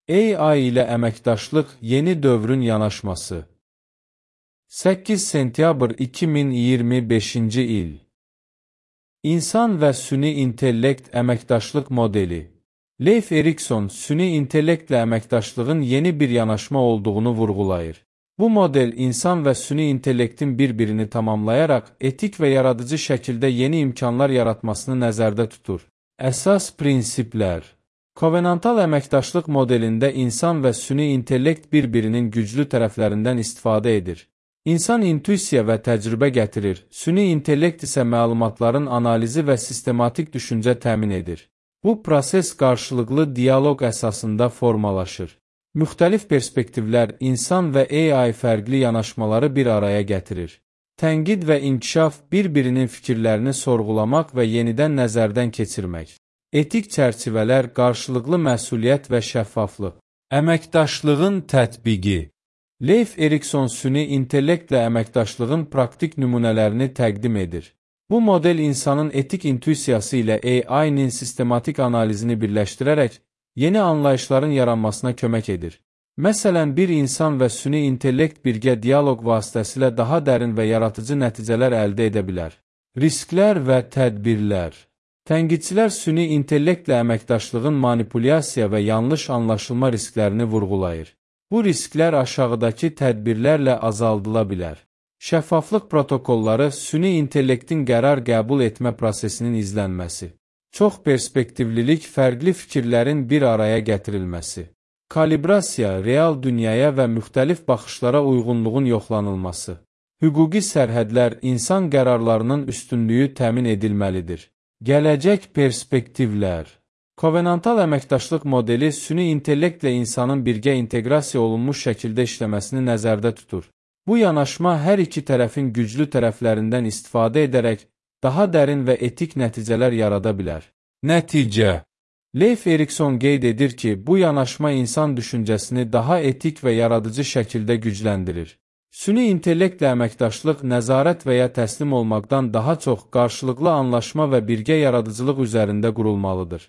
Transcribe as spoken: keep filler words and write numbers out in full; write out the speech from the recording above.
A I ilə əməkdaşlıq yeni dövrün yanaşması. səkkiz sentyabr iki min iyirmi beşinci il. İnsan və süni intellekt əməkdaşlıq modeli. Leif Erikson süni intellektlə əməkdaşlığın yeni bir yanaşma olduğunu vurğulayır. Bu model insan və süni intellektin bir-birini tamamlayaraq etik və yaradıcı şəkildə yeni imkanlar yaratmasını nəzərdə tutur. Əsas prinsiplər. Kovenantal əməkdaşlıq modelində insan və süni intellekt bir-birinin güclü tərəflərindən istifadə edir. İnsan intuisiya və təcrübə gətirir, süni intellekt isə məlumatların analizi və sistematik düşüncə təmin edir. Bu proses qarşılıqlı dialoq əsasında formalaşır. Müxtəlif perspektivlər, insan və A I fərqli yanaşmaları bir araya gətirir. Tənqid və inkişaf bir-birinin fikirlərini sorğulamaq və yenidən nəzərdən keçirmək. Etik çərçivələr, qarşılıqlı məsuliyyət və şəffaflıq. Əməkdaşlığın tətbiqi. Leif Erikson süni intellektlə əməkdaşlığın praktik nümunələrini təqdim edir. Bu model insanın etik intuisiyası ilə A I-nin sistematik analizini birləşdirərək yeni anlayışların yaranmasına kömək edir. Məsələn, bir insan və süni intellekt birgə dialoq vasitəsilə daha dərin və yaradıcı nəticələr əldə edə bilər. Risklər və tədbirlər. Tənqidçilər süni intellektlə əməkdaşlığın manipulyasiya və yanlış anlaşılma risklərini vurğulayır. Bu risklər aşağıdakı tədbirlərlə azaldıla bilər. Şəffaflıq protokolları, süni intellektin qərar qəbul etmə prosesinin izlənməsi. Çox perspektivlilik, fərqli fikirlərin bir araya gətirilməsi. Kalibrasiya, real dünyaya və müxtəlif baxışlara uyğunluğun yoxlanılması. Hüquqi sərhədlər, insan qərarlarının üstünlüyü təmin edilməlidir. Gələcək perspektivlər. Kovenantal əməkdaşlıq modeli süni intellektlə insanın birgə inteqrasiya olunmuş şəkildə işləməsini nəzərdə tutur. Bu yanaşma hər iki tərəfin güclü tərəflərindən istifadə edərək daha dərin və etik nəticələr yarada bilər. Nəticə. Leif Erikson qeyd edir ki, bu yanaşma insan düşüncəsini daha etik və yaradıcı şəkildə gücləndirir. Süni intellektlə əməkdaşlıq nəzarət və ya təslim olmaqdan daha çox qarşılıqlı anlaşma və birgə yaradıcılıq üzərində qurulmalıdır.